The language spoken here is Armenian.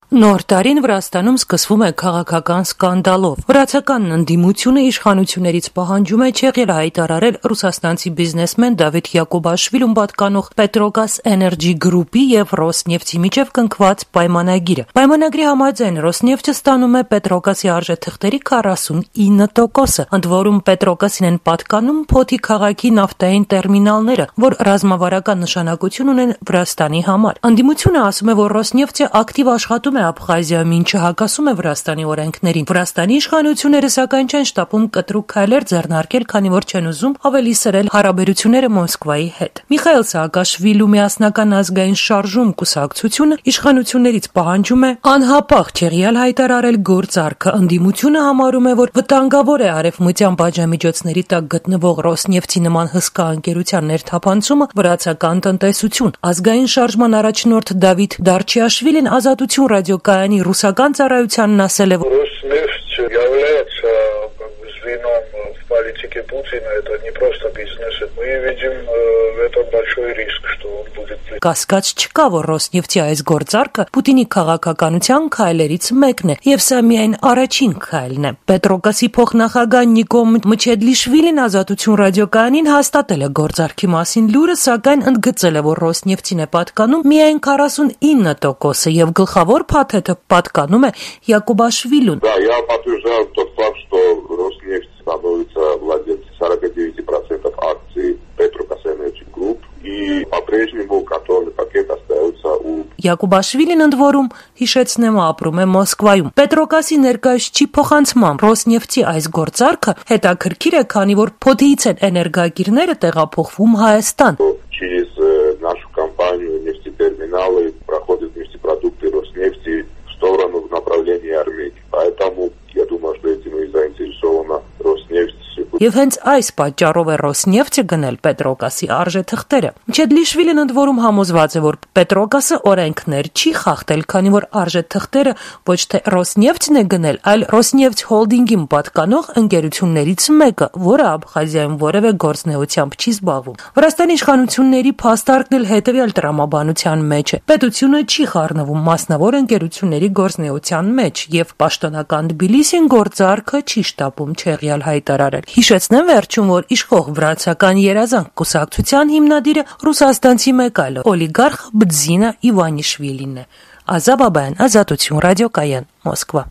Նոր տարին Վրաստանում սկսվում է քաղաքական սկանդալով։ Վրացականն ընդդիմությունը իշխանություններից պահանջում է չեղյալ հայտարարել ռուսաստանցի բիզնեսմեն Դավիթ Յակոբաշվիլուն պատկանող Պետրոգազ Էներջի գրուպի եւ Ռոսնեֆտի միջև կնքված պայմանագիրը։ Պայմանագրի համաձայն Ռոսնեֆտը ստանում է Պետրոգազի արժեթղթերի 49%-ը, ընդ որում Պետրոգազին են պատկանում Փոթի քաղաքի նավթային տերմինալները, որ ռազմավարական նշանակություն ունեն Վրաստանի համար։ Ընդդիմությունը ասում է, որ Ռոսնեֆտը ակտիվ աշխատում է Աբխազիայում, ինչը հակասում է Վրաստանի օրենքներին։ Վրաստանի իշխանությունները սակայն չեն շտապում կտրուկ քայլեր ձեռնարկել, քանի որ չեն ուզում ավելի սրել հարաբերությունները Մոսկվայի հետ։ Միխայիլ Սաակաշվիլու միասնական ազգային շարժում կուսակցությունը իշխանություններից պահանջում է անհապաղ չեղյալ հայտարարել գործարքը։ Ընդդիմությունը համարում է, որ վտանգավոր է արևմտյան պատժամիջոցների տակ գտնվող Ռոսնեֆտի նման հսկա ընկերության ներթափանցումը վրացական տնտեսություն։ Ազգային շարժման առաջնորդ Դավիթ Դարչիաշվիլին Ազատություն ռադիոկայանի ռուսական ծառայությանն ասել է, Роснефть является звеном в политике Путина, это не просто бизнес. Мы видим в этом большой риск, что он будет... Կասկած չկա, որ Ռոսնեֆտի այս գործարքը Պուտինի քաղաքականության քայլերից մեկն է, եւ սա միայն առաջին քայլն է։ Պետրոգազի փոխնախագահ Նիկո Մչեդլիշվիլին Ազատություն ռադիոկայանին հաստատել է գործարքի մասին լուրը, սակայն ընդգծել է, որ Ռոսնեֆտին է պատկանում միայն 49%-ը եւ գլխավոր փաթեթը պատկանում է Յակոբաշվիլուն։ Да, я подтверждаю тот факт, что Роснефть становится владельцем 49% акций Petrogaz Energy Group и по-прежнему контрольный пакет остается у... Յակոբաշվիլին ընդ որում հիշեցնեմ ապրում է Մոսկվայում։ Պետրոգազի ներկայացուցիչ փոխանցմամբ Ռոսնեֆտի այս գործարքը հետաքրքիր է, քանի որ Փոթիից են էներգակիրները տեղափոխվում Հայաստան։ Через нашу компанию нефтетерминалы проходят нефтепродукты Роснефти в сторону в направлении Армении. Поэтому я думаю, что этим и заинтересована Роснефть. Եվ հենց այս պատճառով է Ռոսնեֆտը գնել Պետրոգազի արժեթղթերը։ Մչեդլիշվիլին ընդ որում համոզված է, որ Պետրոգազը օրենքներ չի խախտել, քանի որ արժեթղթերը ոչ թե Ռոսնեֆտն է գնել, այլ Ռոսնեֆտ հոլդինգին պատկանող ընկերություններից մեկը, որը Աբխազիայում որևէ գործնեությամբ չի զբաղվում։ Վրաստանի իշխանությունների փաստարկն էլ հետևյալ տրամաբանության մեջ է։ Պետությունը չի խառնվում մասնավոր ընկերությունների գործնեության մեջ եւ պաշտոնական Թբիլիսին գործարքը չի շտապում չեղյալ հայտարարել։ Հիշեցնեմ վերջում, որ իշխող վրացական երազանք կուսակցության հիմնադիրը ռուսաստանցի մեկ այլ օլիգարխ Բձինա Իվանիշվիլին է։ Ազա Բաբայան, Ազատություն ռադիոկայան, Մոսկվա։